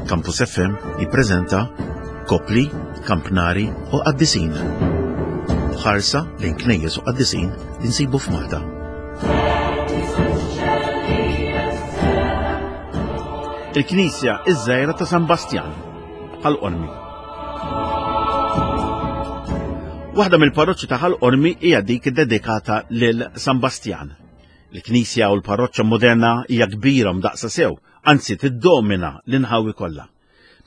Campus FM jippreżenta Kopli, Kampnari u Qaddisin. Ħarsa lejn knejjes u qaddisin li nsibu f'Malta. Il-Knisja iż-żgħira ta' San Bastjan, Ħal Qormi. Waħda mill-parroċċi ta' Ħal Qormi hija dik dedikata lil San Bastjan. Il-knisja u l-parroċċa moderna hija kbira mdaqsa sew, anzi tiddomina l-inħawi kollha.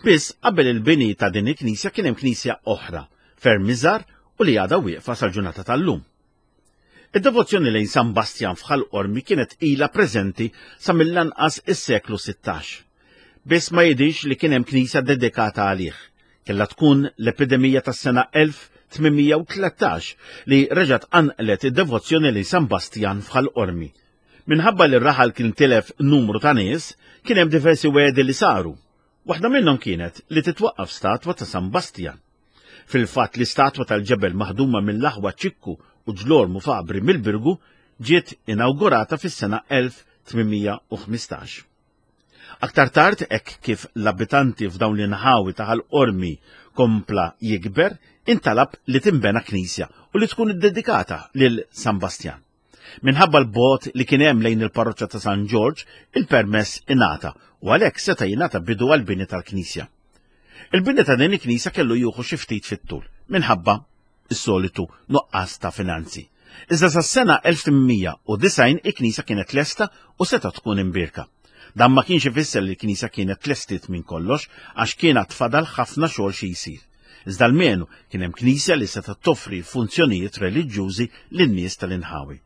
Biss qabel il-bini ta' din il-knisja kien hemm knisja oħra, ferm iżgħar u li għadha wieqfa sal-ġurnata tal-lum. Id-devozzjoni lejn San Bastjan f'Ħal Qormi kienet ilha preżenti sa mill-anqas is-seklu 16. Biss ma jidhirx li kien hemm knisja dedikata għalih. Kellha tkun l-epidemija tas-sena 1813 li reġgħet qanqlet id-devozzjoni lejn San Bastjan f'Ħal Qormi. Minħabba li r-raħal kien tilef numru ta' nies, kien hemm diversi wegħdi li saru. Waħda minnhom kienet li titwaqqaf statwa ta' San Bastjan. Fil-fatt l-istatwa tal-ġebel maħduma mill-aħwa Ċikku u Ġlormu Fabri mill-Birgu ġiet inawgurata fis-sena 1815. Aktar tard, hekk kif l-abitanti f'dawn l-inħawi ta' Ħal Qormi kompla jikber, intalab li tinbena knisja u li tkun iddedikata lil San Bastjan. Minħabba l-bogħod li kien hemm lejn il-parroċċa ta' San Ġorġ, il-permess ingħata u għalhekk seta' jingħata bidu għall-bini tal-knisja. Il-bini ta' din il-knisja kellu jieħu xi ftit fit-tul minħabba is-solitu nuqqas ta' finanzi. Iżda sas-sena 1890 il-knisja kienet lesta u setgħet tkun imbierka. Dan ma kienx ifisser li l-knisja kienet tlestiet minn kollox għax kien għad fadal ħafna xogħol xi jsir. Iżda almenu kien hemm knisja li setgħet toffri funzjonijiet reliġjużi lin-nies tal-inħawi.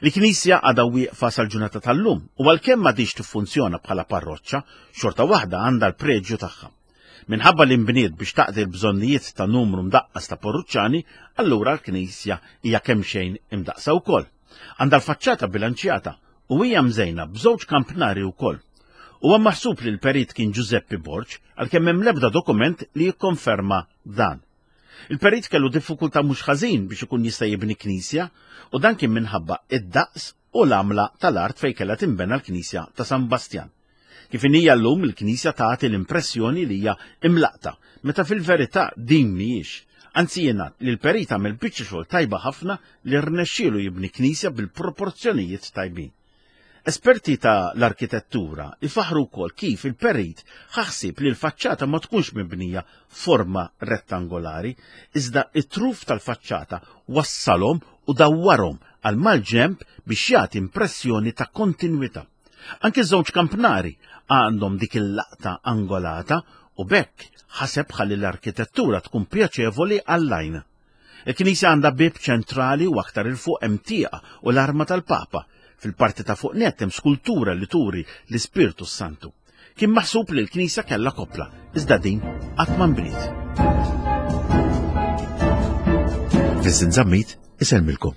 Il-knisja għadha wieqfa sal-ġurnata tal-lum u għalkemm m'għadhiex tiffunzjona bħala parroċċa, xorta waħda għandha l-preġju tagħha. Minħabba li nbniet biex taqdi l-bżonnijiet ta' numru mdaqqas ta' porruċċani, allura l-knisja hija kemxejn imdaqqsa wkoll. Għandha l-faċċata bilanċjata u hija mżejna b'żewġ kampnari wkoll. Huwa maħsub li l-perit kien Ġużeppi Borg, għalkemm hemm l-ebda dokument li jikkonferma dan. Il-perit kellu diffikultà mhux ħażin biex ikun jista' jibni knisja u dan kien minħabba id-daqs u l-għamla tal-art fejn kellha tinbena l-knisja ta' San Bastjan. Kif inhija llum il-Knisja tagħti l-impressjoni li hija imlaqta, meta fil-verità din mhijiex. Anzi jingħad li l-perit għamel biċċa xogħol tajba ħafna li rnexxielu jibni knisja bil-proporzjonijiet tajbin. Esperti ta' l-arkitettura ifaħru wkoll kif il-perit ħa ħsieb li l-faċċata ma tkunx mibnija forma rettangolari, iżda it-truf tal-faċċata wassalhom u dawwarhom għal mal-ġenb biex jagħti impressjoni ta' kontinwità. Anki żewġ kampnari għandhom dik il-laqta angolata u b'hekk ħaseb ħalli l-arkitettura tkun pjaċevoli għall-għajn. Il-knisja għandha bieb ċentrali u aktar 'il fuq hemm tieqa u l-arma tal-Papa. Fil-parti ta' fuq nett hemm skultura li turi l-Ispirtu s-Santu. Kien maħsub li l-knisja kellha koppla, iżda din qatt ma nbniet. Vincent Zammit isellmilkom.